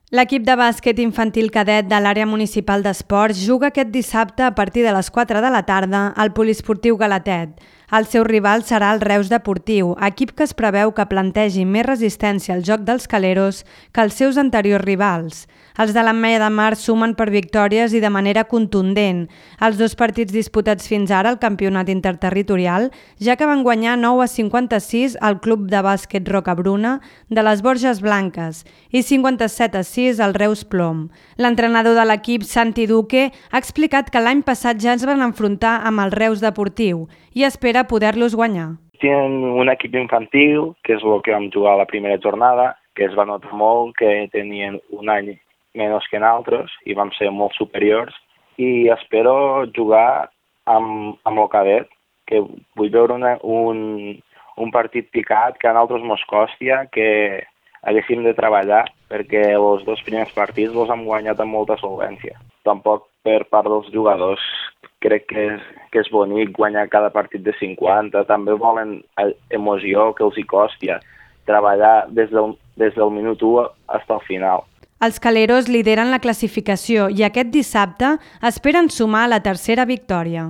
L'equip de bàsquet infantil cadet de l'àrea municipal d'esports juga aquest dissabte a partir de les 4 de la tarda al poliesportiu Galatet. El seu rival serà el Reus Deportiu, equip que es preveu que plantegi més resistència al joc dels caleros que els seus anteriors rivals. Els de l'Ametlla de Mar sumen per victòries i de manera contundent. Els dos partits disputats fins ara al campionat interterritorial, ja que van guanyar 9-56 al club de bàsquet Rocabruna de les Borges Blanques i 57-6 al Reus Plom. L'entrenador de l'equip, Santi Duque, ha explicat que l'any passat ja es van enfrontar amb el Reus Deportiu i espera poder-los guanyar. Tienen un equip infantil, que és el que vam jugar a la primera jornada, que es va notar molt que tenien un any menys que nosaltres i vam ser molt superiors, i espero jugar amb el cadet, que vull veure un partit picat que a nosaltres mos costia, que haguéssim de treballar, perquè els dos primers partits els hem guanyat amb molta solvència. Tampoc per part dels jugadors crec que és bonic guanyar cada partit de 50, també volen emoció que els hi costi treballar des del minut 1 fins al final. Els caleros lideren la classificació i aquest dissabte esperen sumar la tercera victòria.